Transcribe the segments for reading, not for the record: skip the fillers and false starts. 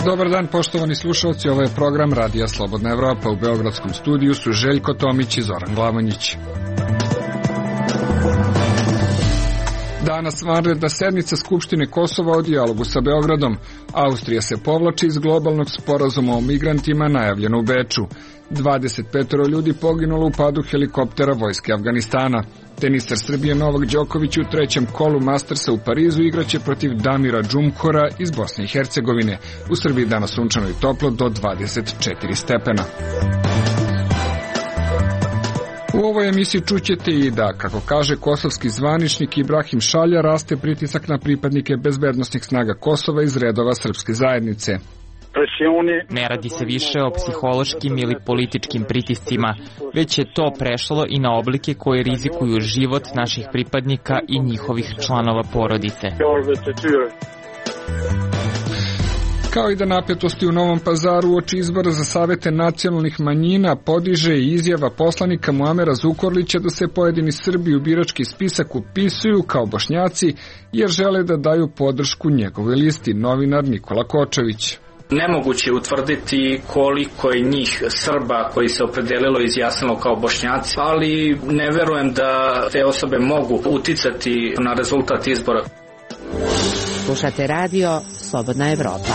Dobar dan, poštovani slušalci, ovo je program Radija Slobodna Evropa. U beogradskom studiju su Željko Tomić i Zoran Glavanjić. Danas vanredna sednica Skupštine Kosova o dijalogu sa Beogradom. Austrija se povlači iz globalnog sporazuma o migrantima najavljeno u Beču. 25 ljudi poginulo u padu helikoptera vojske Afganistana. Tenisar Srbije Novak Đoković u trećem kolu Mastersa u Parizu igraće protiv Damira Džumkora iz Bosne i Hercegovine. U Srbiji danas sunčano i toplo do 24 stepena. U ovoj emisiji čućete i da, kako kaže kosovski zvaničnik Ibrahim Šalja, raste pritisak na pripadnike bezbednosnih snaga Kosova iz redova srpske zajednice. Ne radi se više o psihološkim ili političkim pritiscima, već je to prešlo i na oblike koje rizikuju život naših pripadnika i njihovih članova porodice. Kao i da napetosti u Novom Pazaru uoči izbora za savete nacionalnih manjina podiže i izjava poslanika Muamera Zukorlića da se pojedini Srbi u birački spisak upisuju kao Bošnjaci jer žele da daju podršku njegovoj listi, novinar Nikola Kočević. Nemoguće je utvrditi koliko je njih Srba koji se opredelilo i izjasnilo kao Bošnjaci, ali ne verujem da te osobe mogu uticati na rezultat izbora. Slušate radio Slobodna Evropa.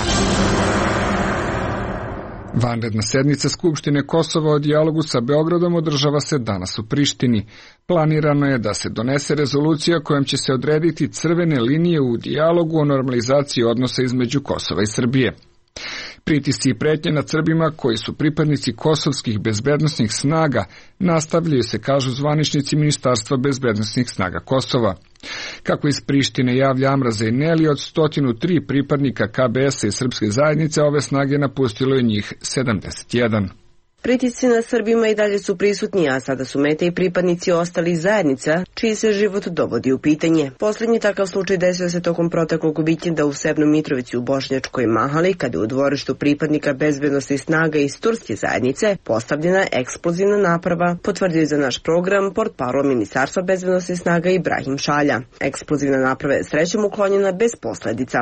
Vanredna sednica Skupštine Kosova o dijalogu sa Beogradom održava se danas u Prištini. Planirano je da se donese rezolucija kojom će se odrediti crvene linije u dijalogu o normalizaciji odnosa između Kosova i Srbije. Pritisci i pretnje nad Srbima koji su pripadnici kosovskih bezbednosnih snaga nastavljaju se, kažu zvaničnici Ministarstva bezbednosnih snaga Kosova. Kako iz Prištine javlja Amra Zejneli, od 103 pripadnika KBS-a i srpske zajednice ove snage napustilo je njih 71. Pritisci na Srbima i dalje su prisutni, a sada su mete i pripadnici ostalih zajednica, čiji se život dovodi u pitanje. Posljednji takav slučaj desio se tokom proteklog vikenda u Severnoj Mitrovici u Bošnjačkoj Mahali, kada je u dvorištu pripadnika bezbednosnih snaga iz turske zajednice postavljena eksplozivna naprava, potvrdio je za naš program portparol Ministarstva bezbednosnih snaga Ibrahim Šalja. Eksplozivna naprava je srećom uklonjena bez posledica.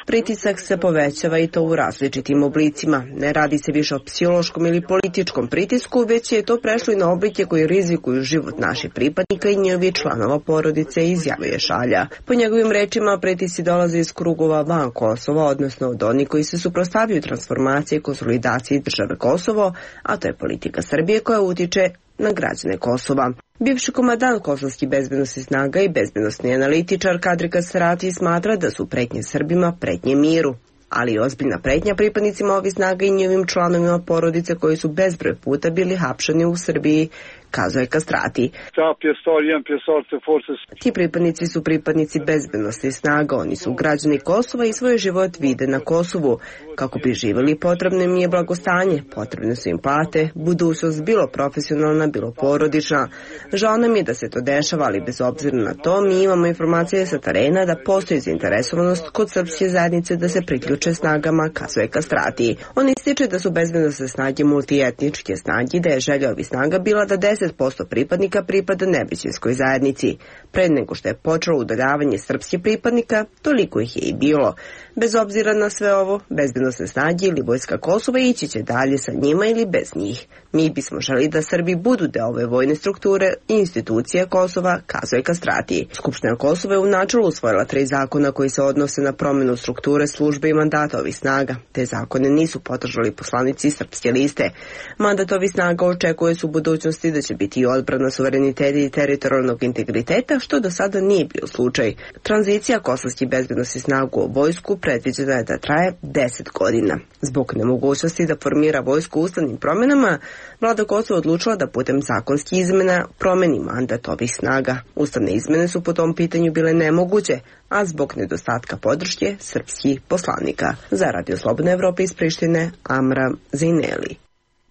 Pritisak se povećava i to u različitim oblicima. Ne radi se više o psihološkom ili političkom pritisku, već je to prešlo i na oblike koji rizikuju život naših pripadnika i njihovih članova porodice, izjavio je Šalja. Po njegovim rečima, pritisci dolaze iz krugova van Kosova, odnosno od onih koji se suprotstavljaju transformaciji i konsolidaciji države Kosovo, a to je politika Srbije koja utiče na građane Kosova. Bivši komandant kosovskih bezbednosnih snaga i bezbednosni analitičar Kadri Kasrati smatra da su pretnje Srbima pretnje miru, ali i ozbiljna pretnja pripadnicima ovih snaga i njihovim članovima porodice koji su bezbroj puta bili hapšeni u Srbiji, kazuje Kastrati. Ti pripadnici su pripadnici bezbednosnih snaga, oni su građani Kosova i svoj život vide na Kosovu. Kako bi živjeli, potrebno im je blagostanje, potrebne su im plate, budućnost bilo profesionalna, bilo porodična. Žao nam je da se to dešava, ali bez obzira na to mi imamo informacije sa terena da postoji zainteresovanost kod srpske zajednice da se priključe snagama, kazuje Kastrati. On ističe da su bezbednosne snage multietničke snage, da je želja ovih snaga bila da 10% pripadnika pripada nevećinskoj zajednici. Pre nego što je počelo udaljavanje srpskih pripadnika, toliko ih je i bilo. Bez obzira na sve ovo, bezbednosne snage ili vojska Kosova ići će dalje sa njima ili bez njih. Mi bismo želi da Srbi budu deo ove vojne strukture i institucije Kosova, kazuje Kastrati. Skupština Kosova je u načelu usvojila 3 zakona koji se odnose na promjenu strukture službe i mandata ovih snaga. Te zakone nisu podržali poslanici srpske liste. Mandat ovih snaga očekuje se u budućnosti da će biti i odbrana suvereniteta i teritorijalnog integriteta, što do sada nije bio slučaj. Tranzicija kosovskih bezbednosnih snaga u vojsku predviđena je da traje 10 godina. Zbog nemogućnosti da formira vojsku ustavnim promjenama, vlada Kosova odlučila da putem zakonskih izmena promeni mandat ovih snaga. Ustavne izmene su po tom pitanju bile nemoguće, a zbog nedostatka podrške srpskih poslanika. Za Radio Slobodna Evropa iz Prištine, Amra Zejneli.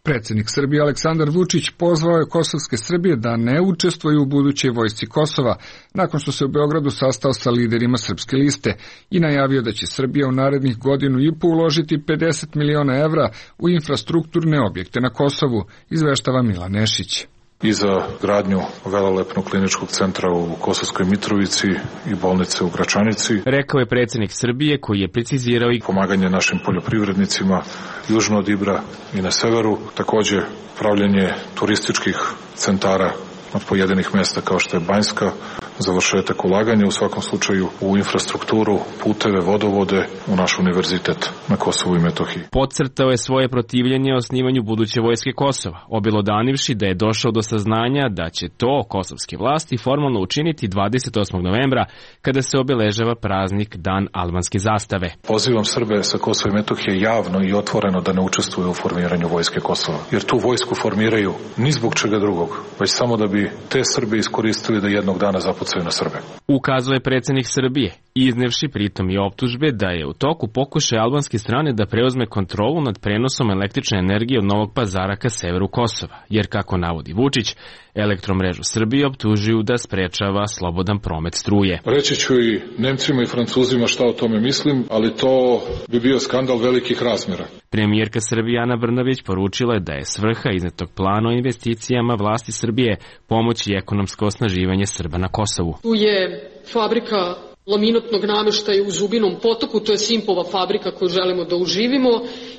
Predsjednik Srbije Aleksandar Vučić pozvao je kosovske Srbije da ne učestvuju u budućoj vojsci Kosova, nakon što se u Beogradu sastao sa liderima Srpske liste i najavio da će Srbija u narednih godinu i po uložiti 50 miliona evra u infrastrukturne objekte na Kosovu, izveštava Milan Nešić. I za gradnju velelepnog kliničkog centra u Kosovskoj Mitrovici i bolnice u Gračanici. Rekao je predsjednik Srbije koji je precizirao i pomaganje našim poljoprivrednicima južno od Ibra i na severu, takođe pravljenje turističkih centara od pojedinih mjesta kao što je Banjska, završetak ulaganja u svakom slučaju u infrastrukturu, puteve, vodovode, u naš univerzitet na Kosovu i Metohiji. Podcrtao je svoje protivljenje osnivanju buduće vojske Kosova, obelodanivši da je došao do saznanja da će to kosovske vlasti formalno učiniti 28. novembra kada se obeležava praznik Dan albanske zastave. Pozivam Srbe sa Kosova i Metohije javno i otvoreno da ne učestvuju u formiranju vojske Kosova, jer tu vojsku formiraju ni zbog čega drugog, već samo da bi te Srbe iskoristili da jednog dana zapucaju na Srbe. Ukazuje predsjednik Srbije, iznevši pritom i optužbe da je u toku pokušaj albanske strane da preuzme kontrolu nad prenosom električne energije od Novog Pazara ka severu Kosova, jer kako navodi Vučić, Elektromrežu Srbije optužuju da sprečava slobodan promet struje. Reći ću i Nemcima i Francuzima šta o tome mislim, ali to bi bio skandal velikih razmjera. Premijerka Srbije Ana Brnabić poručila je da je svrha iznetog plana o investicijama vlasti Srbije pomoći ekonomsko osnaživanje Srba na Kosovu. Tu je fabrika laminatnog nameštaja u Zubinom Potoku, to je Simpova fabrika koju želimo da uživimo,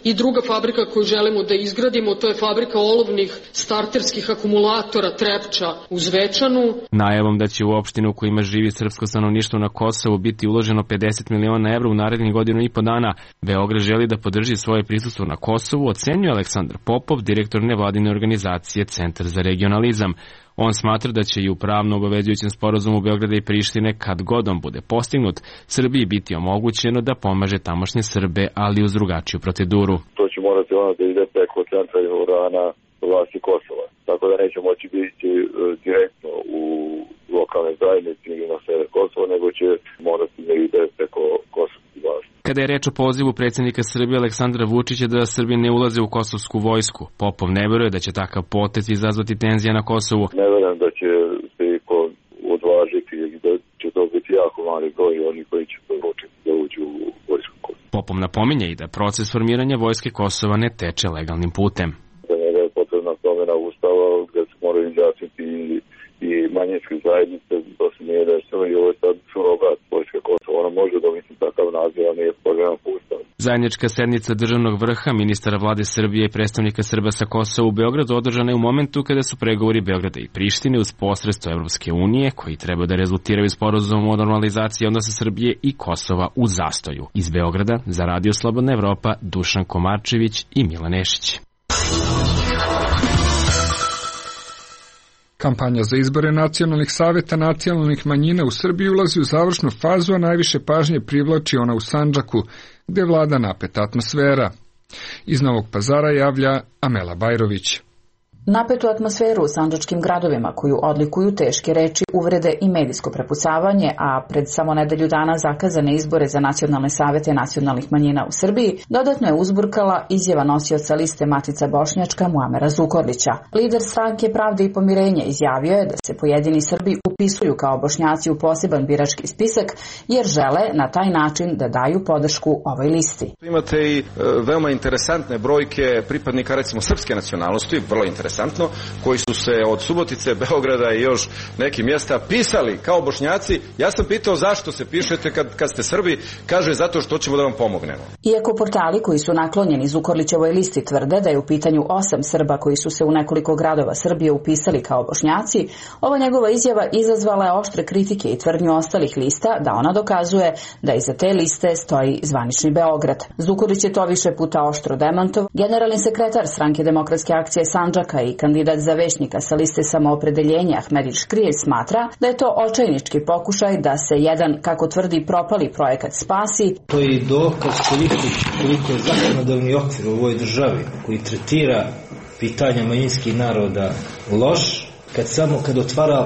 i druga fabrika koju želimo da izgradimo, to je fabrika olovnih starterskih akumulatora Trepča u Zvečanu. Najavom da će u opštinu u kojima živi srpsko stanovništvo na Kosovu biti uloženo 50 miliona evra u narednih godinu i po dana, Beograd želi da podrži svoje prisustvo na Kosovu, ocenjuje Aleksandar Popov, direktor nevladine organizacije Centar za regionalizam. On smatra da će i u pravno obavezujućem sporazumu Beograda i Prištine, kad god on bude postignut, Srbiji biti omogućeno da pomaže tamošnje Srbe, ali uz drugačiju proceduru. To će morati ono da ide preko centra i organa vlasti Kosova. Tako da neće moći biti direktno u lokalne zajednice ili na sever Kosova, nego će morati da ide preko kosovskih vlasti. Kada je reč o pozivu predsjednika Srbije Aleksandra Vučića da Srbi ne ulaze u kosovsku vojsku, Popov ne veruje da će takav potez izazvati tenzije na Kosovu. Ne verujem da će se iko odvažiti i da će to biti jako mali broj oni koji će odlučiti da uđu u vojsku Kosova. Popov napominje i da proces formiranja vojske Kosova ne teče legalnim putem. Za njega je potrebna promjena ustava gdje se moraju izjasniti i manjinske zajednice, to se nije desilo i ovo je sad surogat vojske Kosova. Ona može dobiti takav naziv, a nije promjena po ustavu. Zajednička sednica državnog vrha, ministara vlade Srbije i predstavnika Srba sa Kosova u Beogradu održana je u momentu kada su pregovori Beograda i Prištine uz posredstvo Evropske unije, koji treba da rezultiraju sporazumom o normalizaciji odnosa Srbije i Kosova u zastoju. Iz Beograda za Radio Slobodna Evropa, Dušan Komarčević i Milan Nešić. Kampanja za izbore nacionalnih saveta nacionalnih manjina u Srbiji ulazi u završnu fazu, a najviše pažnje privlači ona u Sandžaku, gde vlada napeta atmosfera. Iz Novog Pazara javlja Amela Bajrović. Napetu atmosferu u sandžačkim gradovima koju odlikuju teške reči, uvrede i medijsko prepucavanje, a pred samo nedelju dana zakazane izbore za nacionalne savete nacionalnih manjina u Srbiji, dodatno je uzburkala izjava nosioca liste Matica Bošnjačka Muamera Zukorlića. Lider stranke Pravde i pomirenje izjavio je da se pojedini Srbi upisuju kao Bošnjaci u poseban birački spisak, jer žele na taj način da daju podršku ovoj listi. Imate i veoma interesantne brojke pripadnika recimo srpske nacionalnosti, vrlo interesantno, koji su se od Subotice, Beograda i još nekih mjesta pisali kao Bošnjaci. Ja sam pitao zašto se pišete kad ste Srbi, kaže zato što ćemo da vam pomognemo. Iako portali koji su naklonjeni Zukorlićevoj listi tvrde da je u pitanju 8 Srba koji su se u nekoliko gradova Srbije upisali kao Bošnjaci, ova njegova izjava izazvala je oštre kritike i tvrdnju ostalih lista da ona dokazuje da iza te liste stoji zvanični Beograd. Zukorlić je to više puta oštro demantov. Generalni sekretar Stranke demokratske akcije Sandžaka i kandidat za većnika sa liste Samoopredeljenja Ahmedin Škrijelj smatra da je to očajnički pokušaj da se jedan, kako tvrdi, propali projekat spasi. To je i dokaz koliko je zakonodavni okvir u ovoj državi koji tretira pitanja manjinskih naroda loš, kad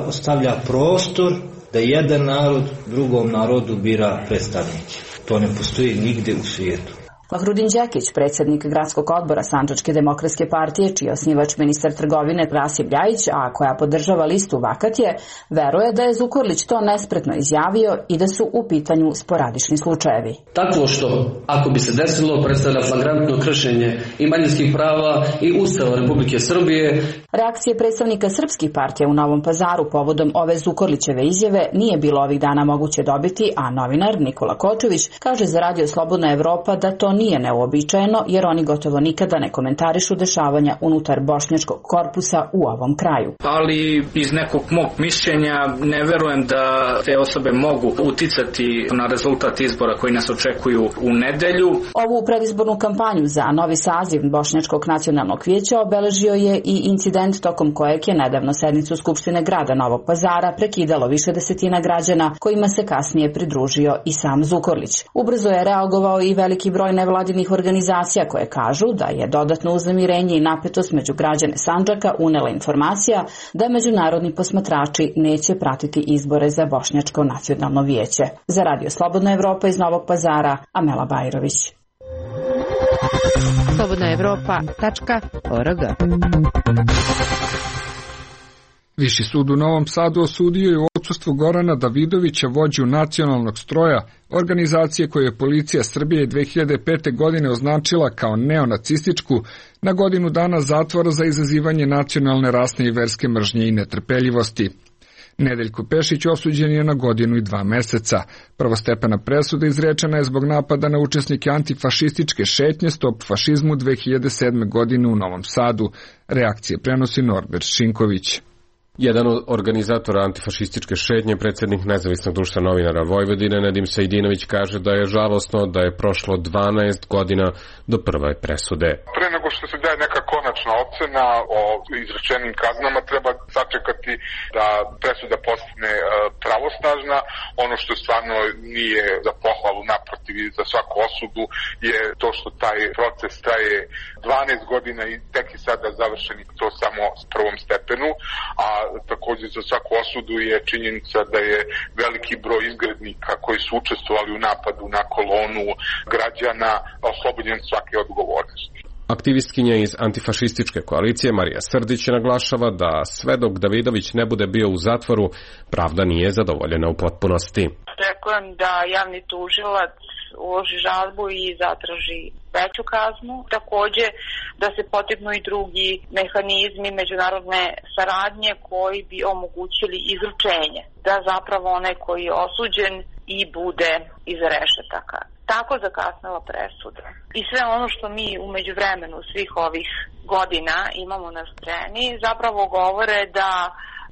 ostavlja prostor da jedan narod drugom narodu bira predstavnike. To ne postoji nigde u svijetu. Fahrudin Đekić, predsjednik gradskog odbora Sandžačke demokratske partije, čiji je osnivač ministar trgovine Rasim Ljajić, a koja podržava listu Vakatje, veruje da je Zukorlić to nespretno izjavio i da su u pitanju sporadični slučajevi. Takvo što, ako bi se desilo, predstavlja flagrantno kršenje i manjinskih prava i Ustava Republike Srbije. Reakcije predstavnika srpskih partija u Novom Pazaru povodom ove Zukorlićeve izjave nije bilo ovih dana moguće dobiti, a novinar Nikola Kočević kaže za Radio Slobodna Evropa da to nije neuobičajeno, jer oni gotovo nikada ne komentarišu dešavanja unutar bošnjačkog korpusa u ovom kraju. Ali iz nekog mog mišljenja ne verujem da te osobe mogu uticati na rezultat izbora koji nas očekuju u nedelju. Ovu predizbornu kampanju za novi saziv Bošnjačkog nacionalnog vijeća obeležio je i incident tokom kojeg je nedavno sednicu Skupštine grada Novog Pazara prekidalo više desetina građana, kojima se kasnije pridružio i sam Zukorlić. Ubrzo je reagovao i veliki broj nevladinih organizacija koje kažu da je dodatno uznemirenje i napetost među građane Sandžaka unela informacija da međunarodni posmatrači neće pratiti izbore za Bošnjačko nacionalno vijeće. Za Radio Slobodna Evropa iz Novog Pazara, Amela Bajrović. slobodnaevropa.org. Viši sud u Novom Sadu osudio je u odsustvu Gorana Davidovića, vođu nacionalnog stroja, organizacije koju je policija Srbije 2005. godine označila kao neonacističku, na godinu dana zatvora za izazivanje nacionalne, rasne i verske mržnje i netrpeljivosti. Nedeljko Pešić osuđen je na 1 godinu i 2 meseca. Prvostepena presuda izrečena je zbog napada na učesnike antifašističke šetnje Stop fašizmu 2007. godine u Novom Sadu. Reakcije prenosi Norbert Šinković. Jedan od organizatora antifašističke šetnje, predsjednik Nezavisnog društva novinara Vojvodine, Nedim Sejdinović, kaže da je žalosno da je prošlo 12 godina do prve presude. Pre nego što se daje neka konačna ocena o izrečenim kaznama, treba sačekati da presuda postane pravosnažna. Ono što stvarno nije za pohvalu, naprotiv i za svaku osudu, je to što taj proces traje 12 godina i tek je sada završen i to samo s prvom stepenu, a također za svaku osudu je činjenica da je veliki broj izgrednika koji su učestvovali u napadu na kolonu građana oslobođen svake odgovornosti. Aktivistkinja iz antifašističke koalicije Marija Srdić naglašava da sve dok Davidović ne bude bio u zatvoru, pravda nije zadovoljena u potpunosti. Očekujem da javni tužilac uloži žalbu i zatraži veću kaznu. Također da se potegnu i drugi mehanizmi međunarodne saradnje koji bi omogućili izručenje. Da zapravo onaj koji je osuđen i bude iza rešetaka. Tako zakasnila presuda. I sve ono što mi u međuvremenu svih ovih godina imamo na sceni zapravo govore da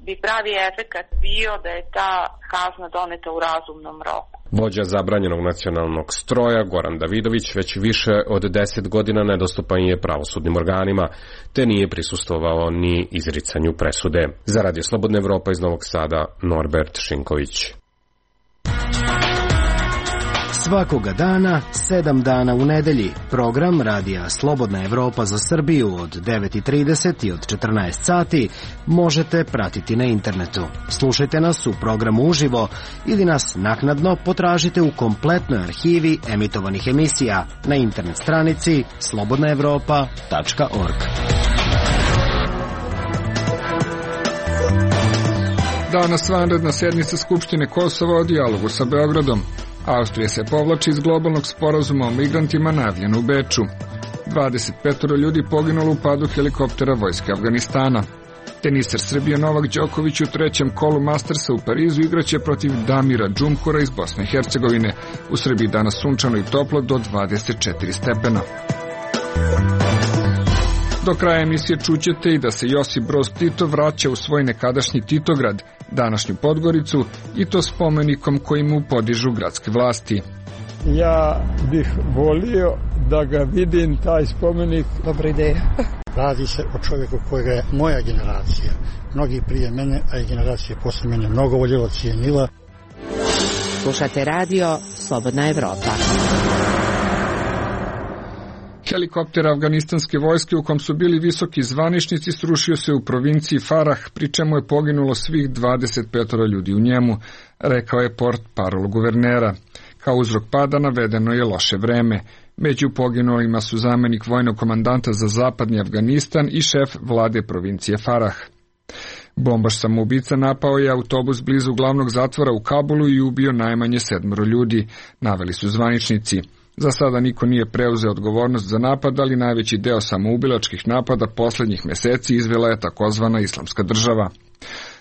bi pravi efekat bio da je ta kazna doneta u razumnom roku. Vođa zabranjenog nacionalnog stroja Goran Davidović već više od 10 godina nedostupan je pravosudnim organima, te nije prisustvovao ni izricanju presude. Za Radio Slobodna Evropa iz Novog Sada, Norbert Šinković. Svakoga dana, 7 dana u nedelji, program Radija Slobodna Evropa za Srbiju od 9:30 i od 14 sati možete pratiti na internetu. Slušajte nas u programu uživo ili nas naknadno potražite u kompletnoj arhivi emitovanih emisija na internet stranici slobodnaevropa.org. Danas vanredna sednica Skupštine Kosova o dijalogu sa Beogradom. Austrija se povlači iz globalnog sporazuma o migrantima najavljen u Beču. 25 ljudi poginulo u padu helikoptera vojske Afganistana. Teniser Srbije Novak Đoković u 3. kolu Mastersa u Parizu igraće protiv Damira Džumhura iz Bosne i Hercegovine. U Srbiji danas sunčano i toplo do 24 stepena. Do kraja emisije čućete i da se Josip Broz Tito vraća u svoj nekadašnji Titograd, današnju Podgoricu, i to spomenikom koji mu podižu gradske vlasti. Ja bih volio da ga vidim, taj spomenik. Dobra ideja. Radi se o čovjeku kojega je moja generacija, mnogi prije mene, a i generacije posle mene, mnogo voljela, cijenila. Slušate radio Slobodna Evropa. Helikopter afganistanske vojske u kom su bili visoki zvaničnici srušio se u provinciji Farah, pri čemu je poginulo svih 25 ljudi u njemu, rekao je portparol guvernera. Kao uzrok pada navedeno je loše vreme. Među poginulima su zamenik vojnog komandanta za zapadni Afganistan i šef vlade provincije Farah. Bombaš samoubica napao je autobus blizu glavnog zatvora u Kabulu i ubio najmanje 7 ljudi, naveli su zvaničnici. Za sada niko nije preuzeo odgovornost za napad, ali najveći deo samoubilačkih napada poslednjih meseci izvela je takozvana Islamska država.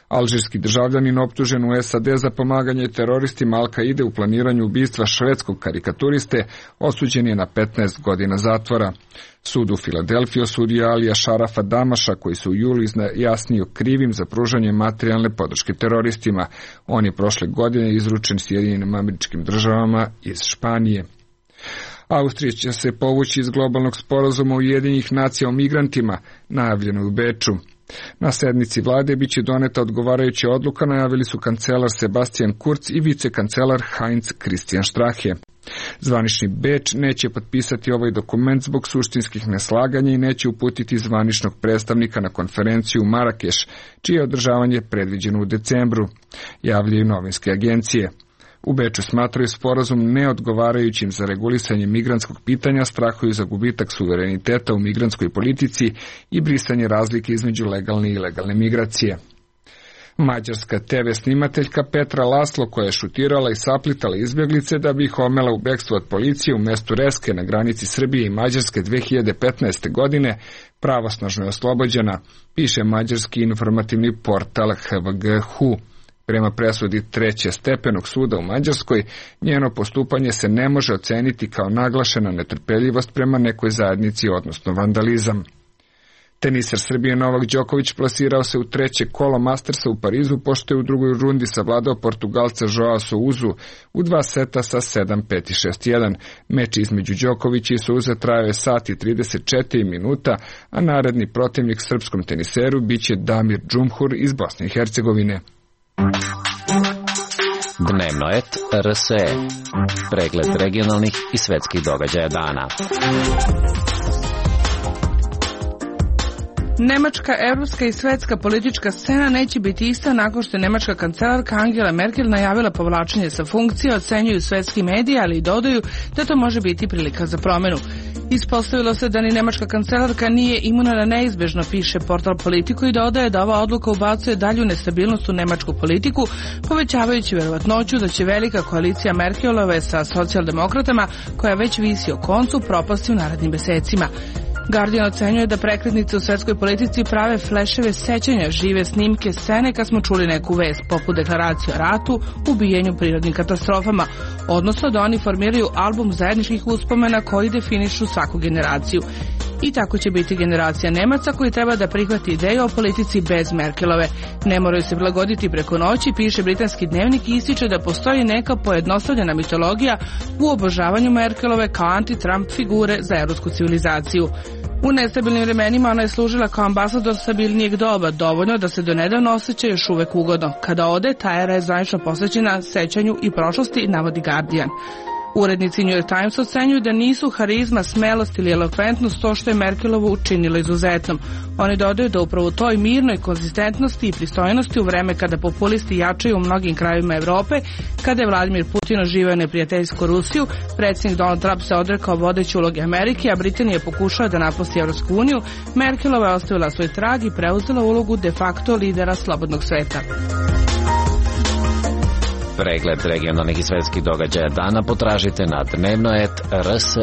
Alžirski državljanin optužen u SAD za pomaganje teroristima Al-Kaide u planiranju ubistva švedskog karikaturiste osuđen je na 15 godina zatvora. Sud u Filadelfiji osudio Alija Šarafa Damaša, koji se u julu izjasnio krivim za pružanje materijalne podrške teroristima. On je prošle godine izručen Sjedinjenim Američkim Državama iz Španije. Austrija će se povući iz globalnog sporazuma Ujedinjenih nacija o migrantima, najavljeno u Beču. Na sednici vlade biće doneta odgovarajuća odluka, najavili su kancelar Sebastian Kurz i vicekancelar Heinz Christian Strache. Zvanični Beč neće potpisati ovaj dokument zbog suštinskih neslaganja i neće uputiti zvaničnog predstavnika na konferenciju u Marakeš, čije održavanje je predviđeno u decembru, javljaju novinske agencije. U Beču smatraju sporazum neodgovarajućim za regulisanje migrantskog pitanja, strahuju za gubitak suvereniteta u migrantskoj politici i brisanje razlike između legalne i ilegalne migracije. Mađarska TV snimateljka Petra Laslo, koja je šutirala i saplitala izbjeglice da bi ih omela u bekstvu od policije u mestu Reske na granici Srbije i Mađarske 2015. godine, pravosnažno je oslobođena, piše mađarski informativni portal HVG-HU. Prema presudi trećestepenog suda u Mađarskoj, njeno postupanje se ne može oceniti kao naglašena netrpeljivost prema nekoj zajednici, odnosno vandalizam. Teniser Srbije Novak Đoković plasirao se u treće kolo Mastersa u Parizu, pošto je u drugoj rundi savladao Portugalca Joao Souzu u 2 seta sa 7-5 i 6-1. Meč između Đokovića i Souza trajao je sat i 34 minuta, a naredni protivnik srpskom teniseru biće Damir Džumhur iz Bosne i Hercegovine. Dnevno et RSE. Pregled regionalnih i svetskih događaja dana. Nemačka, evropska i svetska politička scena neće biti ista nakon što je nemačka kancelarka Angela Merkel najavila povlačenje sa funkcije, ocenjuju svetski mediji, ali i dodaju da to može biti prilika za promenu. Ispostavilo se da ni nemačka kancelarka nije imuna na neizbežno, piše portal Politico, i dodaje da ova odluka ubacuje dalju nestabilnost u nemačku politiku, povećavajući verovatnoću da će velika koalicija Merkelove sa socijaldemokratama, koja već visi o koncu, propasti u narednim mesecima. Guardian ocenjuje da prekretnice u svetskoj politici prave fleševe sećanja, žive snimke scene kad smo čuli neku vest, poput deklaracije o ratu, ubijenju, prirodnim katastrofama, odnosno da oni formiraju album zajedničkih uspomena koji definišu svaku generaciju. I tako će biti generacija Nemaca koji treba da prihvati ideju o politici bez Merkelove. Ne moraju se prilagoditi preko noći, piše britanski dnevnik i ističe da postoji neka pojednostavljena mitologija u obožavanju Merkelove kao anti-Trump figure za evropsku civilizaciju. U nestabilnim vremenima ona je služila kao ambasador stabilnijeg doba, dovoljno da se donedavno osjeća još uvek ugodno. Kada ode, ta era je zvanično posvećena sećanju i prošlosti, navodi Guardian. Urednici New York Times ocenjuju da nisu harizma, smelost ili elokventnost to što je Merkelovu učinilo izuzetnom. Oni dodaju da upravo toj mirnoj konzistentnosti i pristojnosti u vreme kada populisti jačaju u mnogim krajevima Evrope, kada je Vladimir Putin oživio neprijateljsku Rusiju, predsjednik Donald Trump se odrekao vodeće uloge Amerike, a Britanija pokušava da napusti Evropsku uniju, Merkelova je ostavila svoj trag i preuzela ulogu de facto lidera slobodnog sveta. Pregled regionalnih i svetskih događaja dana potražite na dnevnoet.rse.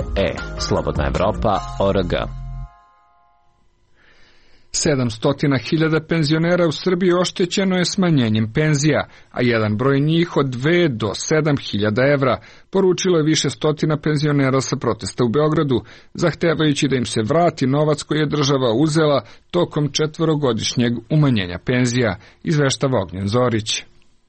Slobodna Evropa.org. 700.000 penzionera u Srbiji oštećeno je smanjenjem penzija, a jedan broj njih od 2 do 7.000 evra, poručilo je više stotina penzionera sa protesta u Beogradu, zahtevajući da im se vrati novac koji je država uzela tokom 4-godišnjeg umanjenja penzija, izveštava Ognjen Zorić.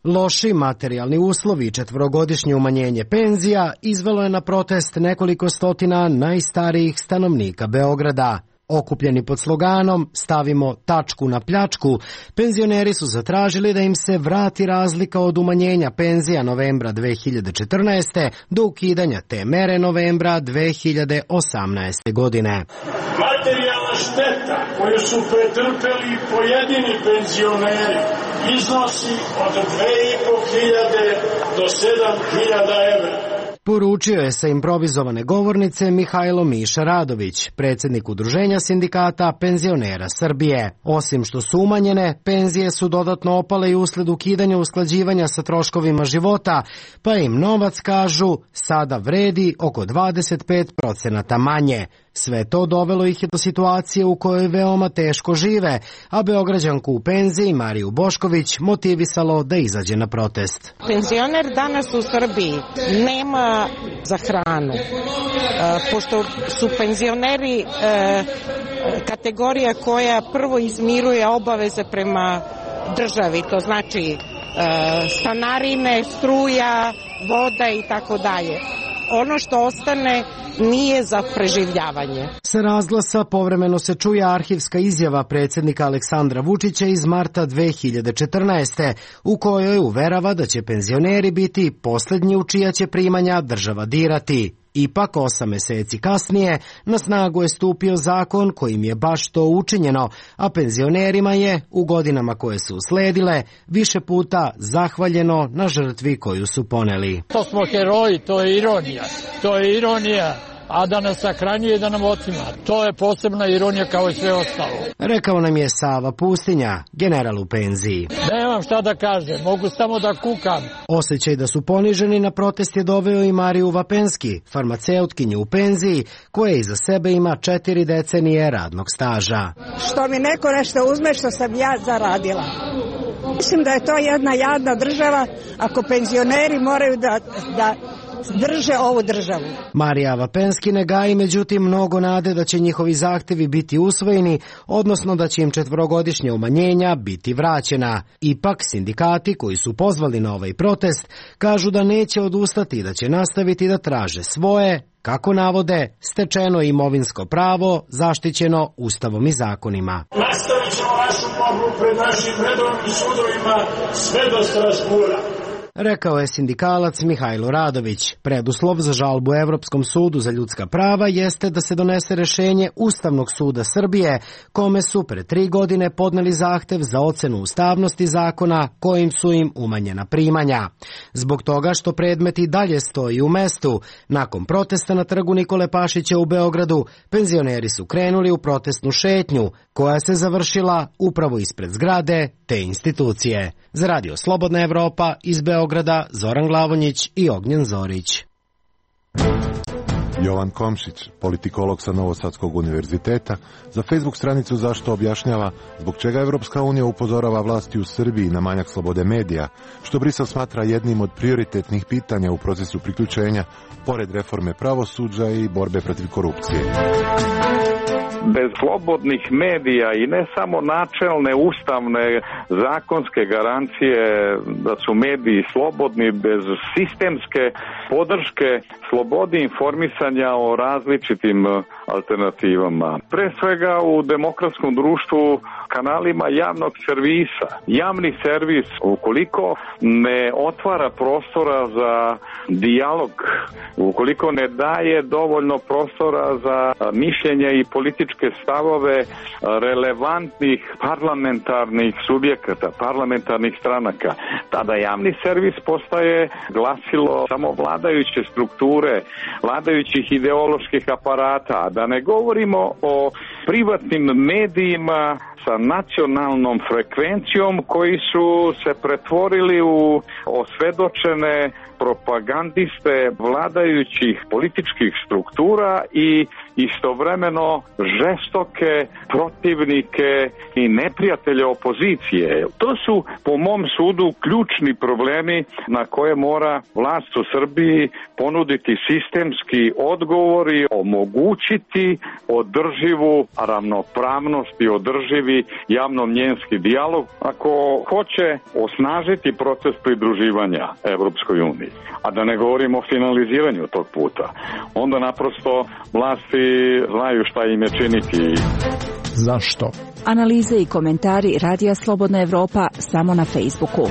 Loši materijalni uslovi i 4-godišnje umanjenje penzija izvelo je na protest nekoliko stotina najstarijih stanovnika Beograda. Okupljeni pod sloganom "Stavimo tačku na pljačku", penzioneri su zatražili da im se vrati razlika od umanjenja penzija novembra 2014. do ukidanja te mere novembra 2018. godine. Materijalna šteta koju su pretrpeli pojedini penzioneri iznosi od 2.500 do 7.000 evra. Poručio je sa improvizovane govornice Mihajlo Miša Radović, predsjednik Udruženja sindikata penzionera Srbije. Osim što su umanjene, penzije su dodatno opale i usled ukidanja usklađivanja sa troškovima života, pa im novac, kažu, sada vredi oko 25% manje. Sve to dovelo ih je do situacije u kojoj veoma teško žive, a Beograđanku u penziji Mariju Bošković motivisalo da izađe na protest. Penzioner danas u Srbiji nema za hranu, pošto su penzioneri kategorija koja prvo izmiruje obaveze prema državi, to znači stanarine, struja, voda i tako dalje. Ono što ostane nije za preživljavanje. Sa razglasa povremeno se čuje arhivska izjava predsjednika Aleksandra Vučića iz marta 2014. u kojoj uverava da će penzioneri biti posljednji u čija će primanja država dirati. Ipak 8 meseci kasnije na snagu je stupio zakon kojim je baš to učinjeno, a penzionerima je u godinama koje su usledile više puta zahvaljeno na žrtvi koju su poneli. To smo heroji, to je ironija. To je ironija, a da nas sahranjuje i da nam otima. To je posebna ironija kao i sve ostalo. Rekao nam je Sava Pustinja, general u penziji. Nemam šta da kažem, mogu samo da kukam. Osjećaj da su poniženi na protest je doveo i Mariju Vapenski, farmaceutkinju u penziji, koja iza sebe ima 4 decenije radnog staža. Što mi neko nešto uzme što sam ja zaradila. Mislim da je to jedna jadna država ako penzioneri moraju da drže ovu državu. Marija Vapenski ne gaji međutim mnogo nade da će njihovi zahtevi biti usvojeni, odnosno da će im 4-godišnja umanjenja biti vraćena. Ipak sindikati koji su pozvali na ovaj protest kažu da neće odustati i da će nastaviti da traže svoje, kako navode, stečeno imovinsko pravo zaštićeno Ustavom i zakonima. Nastavit ćemo našu borbu pred našim redovnim sudovima sve do Strasbura. Rekao je sindikalac Mihajlo Radović. Preduslov za žalbu Evropskom sudu za ljudska prava jeste da se donese rešenje Ustavnog suda Srbije, kome su pre 3 godine podneli zahtev za ocenu ustavnosti zakona kojim su im umanjena primanja. Zbog toga što predmet i dalje stoji u mestu, nakon protesta na trgu Nikole Pašića u Beogradu, penzioneri su krenuli u protestnu šetnju, koja se završila upravo ispred zgrade te institucije. Za Radio Slobodna Evropa iz Beograda, Zoran Glavonjić i Ognjen Zorić. Jovan Komšić, politikolog sa Novosadskog univerziteta, za Facebook stranicu Zašto objašnjava zbog čega Evropska unija upozorava vlasti u Srbiji na manjak slobode medija, što Brisel smatra jednim od prioritetnih pitanja u procesu priključenja, pored reforme pravosuđa i borbe protiv korupcije. Bez slobodnih medija i ne samo načelne, ustavne, zakonske garancije da su mediji slobodni, bez sistemske podrške slobodi informisanja o različitim alternativama. Pre svega u demokratskom društvu kanalima javnog servisa. Javni servis, ukoliko ne otvara prostora za dijalog, ukoliko ne daje dovoljno prostora za mišljenje i političke stavove relevantnih parlamentarnih subjekata, parlamentarnih stranaka, tada javni servis postaje glasilo samo vladajuće strukture, vladajućih ideoloških aparata, a da ne govorimo o privatnim medijima sa nacionalnom frekvencijom koji su se pretvorili u osvedočene propagandiste vladajućih političkih struktura i istovremeno žestoke protivnike i neprijatelje opozicije. To su po mom sudu ključni problemi na koje mora vlast u Srbiji ponuditi sistemski odgovor i omogućiti održivu ravnopravnost i održivi javno-mnjenski dijalog ako hoće osnažiti proces pridruživanja Evropskoj uniji. A da ne govorimo o finaliziranju tog puta. Onda naprosto vlasti znaju šta im je činiti. Zašto? Analize i komentari Radija Slobodna Evropa samo na Facebooku.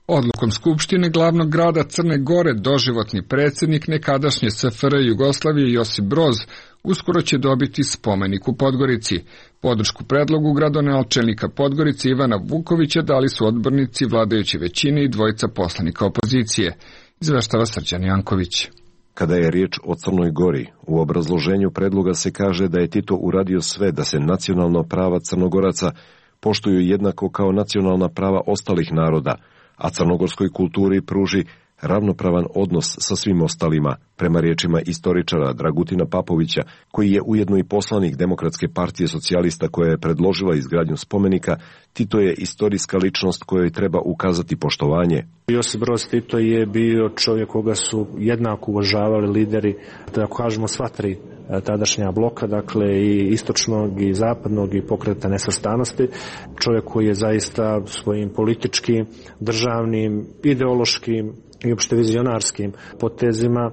Odlukom Skupštine glavnog grada Crne Gore doživotni predsjednik nekadašnje SFRJ Jugoslavije Josip Broz uskoro će dobiti spomenik u Podgorici. Podršku predlogu gradonačelnika Podgorice Ivana Vukovića dali su odbornici vladajuće većine i dvojica poslanika opozicije. Izveštava Srđan Janković. Kada je riječ o Crnoj Gori, u obrazloženju predloga se kaže da je Tito uradio sve da se nacionalna prava Crnogoraca poštuju jednako kao nacionalna prava ostalih naroda, a crnogorskoj kulturi pruži ravnopravan odnos sa svim ostalima, prema riječima istoričara Dragutina Papovića, koji je ujedno i poslanik Demokratske partije socijalista koja je predložila izgradnju spomenika. Tito je istorijska ličnost kojoj treba ukazati poštovanje. Josip Broz Tito je bio čovjek koga su jednako uvažavali lideri, da kažemo sva tri tadašnja bloka, dakle i istočnog i zapadnog i Pokreta nesvrstanosti. Čovjek koji je zaista svojim političkim, državnim, ideološkim i opšte vizionarskim potezima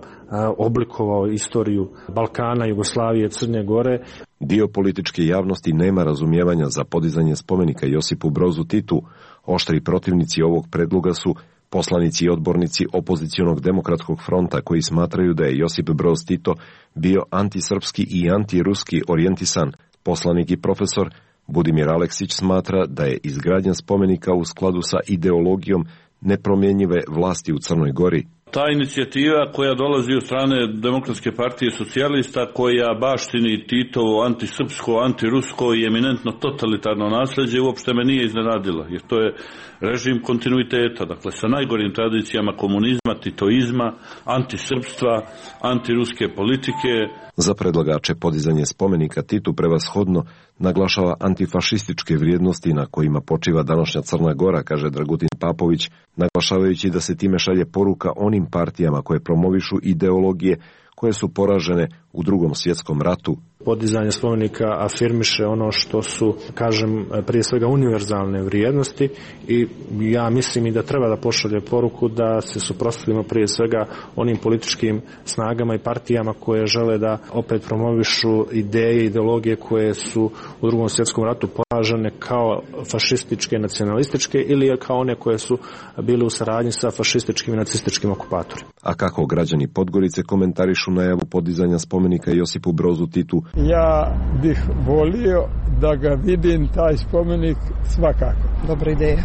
oblikovao istoriju Balkana, Jugoslavije, Crne Gore. Dio političke javnosti nema razumijevanja za podizanje spomenika Josipu Brozu Titu. Oštri protivnici ovog predloga su poslanici i odbornici opozicionog demokratskog fronta koji smatraju da je Josip Broz Tito bio antisrpski i antiruski orijentisan. Poslanik i profesor Budimir Aleksić smatra da je izgradnja spomenika u skladu sa ideologijom nepromjenjive vlasti u Crnoj Gori. Ta inicijativa koja dolazi od strane Demokratske partije socijalista, koja baštini Titovo antisrpsko, antirusko i eminentno totalitarno nasljeđe, uopšte me nije iznenadila, jer to je režim kontinuiteta, dakle sa najgorim tradicijama komunizma, titoizma, antisrpstva, antiruske politike. Za predlagače podizanje spomenika Titu prevashodno naglašava antifašističke vrijednosti na kojima počiva današnja Crna Gora, kaže Dragutin Papović, naglašavajući da se time šalje poruka onim partijama koje promovišu ideologije koje su poražene u Drugom svjetskom ratu. Podizanje spomenika afirmiše ono što su, kažem, prije svega univerzalne vrijednosti i ja mislim i da treba da pošalje poruku da se suprotstavimo prije svega onim političkim snagama i partijama koje žele da opet promovišu ideje i ideologije koje su u Drugom svjetskom ratu poražene kao fašističke, nacionalističke ili kao one koje su bile u saradnji sa fašističkim i nacističkim okupatorima. A kako građani Podgorice komentarišu najavu podizanja spomenika Josipu Brozu Titu? Ja bih volio da ga vidim, taj spomenik, svakako. Dobra ideja.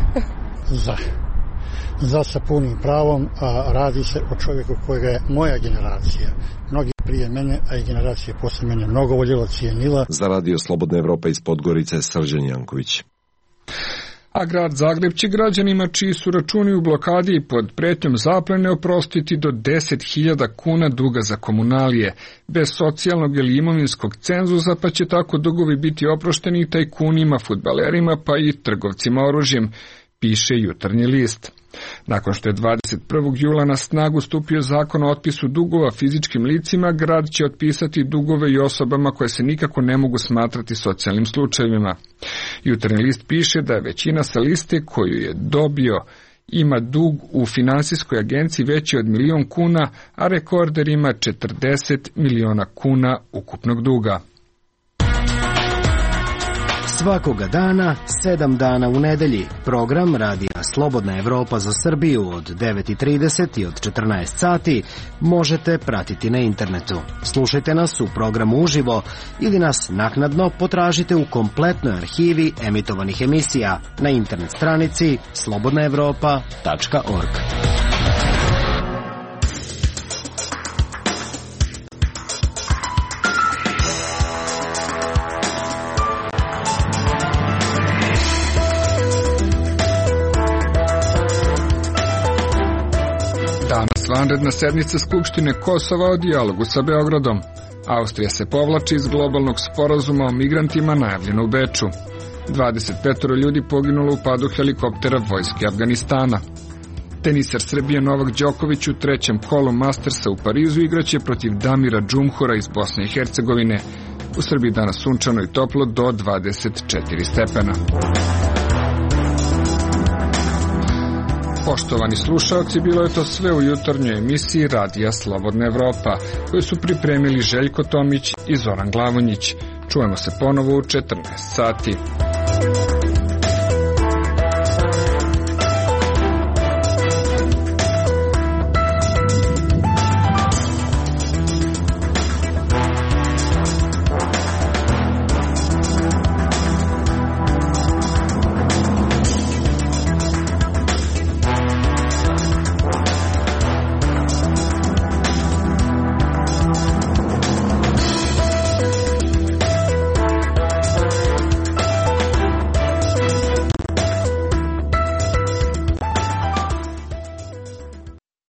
Za sa punim pravom, a radi se o čovjeku kojega je moja generacija, mnogi prije mene, a i generacije posle mene mnogo voljela, cijenila. Za Radio Slobodna Evropa iz Podgorice, Srđan Janković. A grad Zagreb će građanima čiji su računi u blokadi i pod pretnjom zaplene oprostiti do 10.000 kuna duga za komunalije, bez socijalnog ili imovinskog cenzusa, pa će tako dugovi biti oprošteni i tajkunima, fudbalerima pa i trgovcima oružjem, piše Jutarnji list. Nakon što je 21. jula na snagu stupio zakon o otpisu dugova fizičkim licima, grad će otpisati dugove i osobama koje se nikako ne mogu smatrati socijalnim slučajevima. Jutarnji list piše da je većina sa liste koju je dobio ima dug u finansijskoj agenciji veći od 1.000.000 kuna, a rekorder ima 40 miliona kuna ukupnog duga. Svakoga dana, 7 dana u nedelji, program Radija Slobodna Evropa za Srbiju od 9.30 i od 14 sati možete pratiti na internetu. Slušajte nas u programu uživo ili nas naknadno potražite u kompletnoj arhivi emitovanih emisija na internet stranici slobodnaevropa.org. Vanredna sednica Skupštine Kosova o dijalogu sa Beogradom. Austrija se povlači iz globalnog sporazuma o migrantima najavljeno u Beču. 25 ljudi poginulo u padu helikoptera vojske Afganistana. Tenisar Srbije Novak Đoković u trećem kolu Mastersa u Parizu igraće protiv Damira Džumhura iz Bosne i Hercegovine. U Srbiji danas sunčano i toplo do 24 stepena. Poštovani slušalci, bilo je to sve u jutarnjoj emisiji Radija Slobodna Evropa, koju su pripremili Željko Tomić i Zoran Glavonjić. Čujemo se ponovo u 14 sati.